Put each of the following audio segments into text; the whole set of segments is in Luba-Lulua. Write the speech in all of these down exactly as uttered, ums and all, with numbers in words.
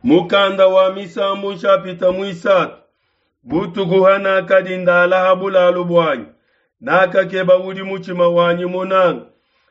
Mukanda wa Misambu nshapita muisatu. Butuku hanakadi ndala ha bulalu buanyi, nakakeba udi mutshima wanyi munanga,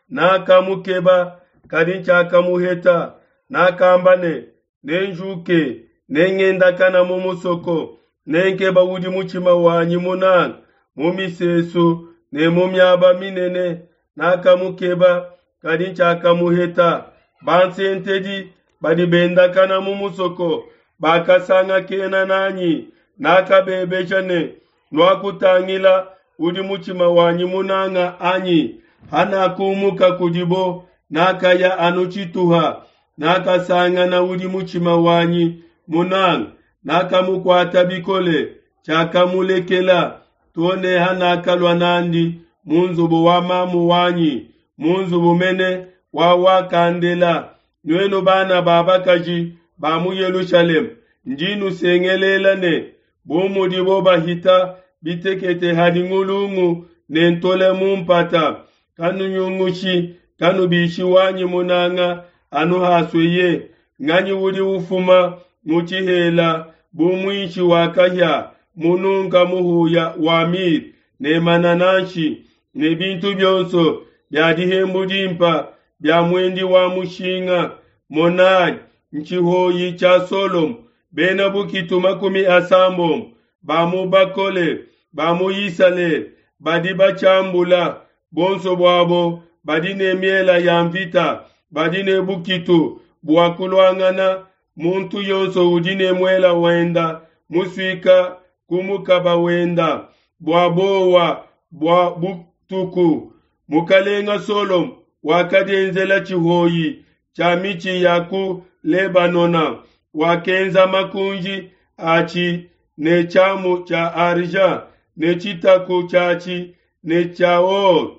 nakamukeba, kadi tshiakamuheta. Nakamba ne, Nenjuke, nengendakana mu musoko, nenkeba udi mutshima wanyi munanga mu misesu ne mu miaba minene. Nakamukeba, kadi tshiakamuheta. Bansentedi badi bendakana mu musoko bakasangakena nanyi. Nakabebeja ne, Nuakutangila udi mutshima wanyi munanga, anyi? Hanakumuka kudibo, nakaya anu tshituha, nakasangana udi mutshima wanyi munanga, nakamukuata bikole, tshiakamulekela to ne hanakalua n'andi mu nzubu wa mamu wanyi, mu nzubu mene wa wakandela. Nuenu bana ba bakaji ba mu Yelushalema, ndi nusengelela ne, bu mudibo bahita bitekete hadi ngulungu ne ntole mu mpata, kanunyungushi, kanubishi wanyi munanga anu hasueye. Nganyi udi ufuma mu tshihela bu muishi wa kahia, mununka muhuya wa mire ne manananshi ne bintu bionso bia dihembu dimpe bia muendi wa mushinga? Monai, ntshihoyi tshia Solomo, bena bukitu makumi asambombo ba mu bakole ba mu Isalele badi batshiambula, buonso buabo badi ne miele ya nvita, badi ne bukitu bua kuluangana, muntu yonso udi ne muele wenda musuika ku mukaba wenda bua buowa bua butuku. Mukalenga Solomo wakadienzela tshihoyi tshia mitshi ya ku Lebanona, wakenza makunji atshi ne tshiamu tshia argent ne tshitaku tshiatshi ne tshia or.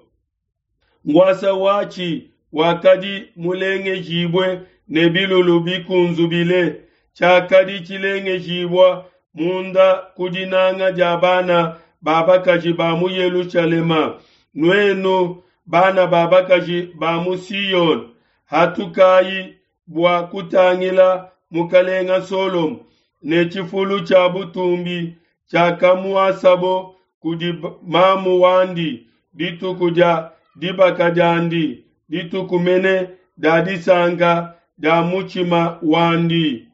Nkuasa watshi wakadi mulengejibue ne bilulu bikunzubile, tshiakadi tshilengejibua munda ku dinanga dia bana ba bakaji ba mu Yelushalema. Nuenu bana ba bakaji ba mu Siyone, hatukayi bua kutangila mukalenga Solomo ne tshifulu tshia butumbi tshiakamuasabo kudi mamu wandi dituku dia dibaka diandi, dituku mene dia disanka dia mutshima wandi.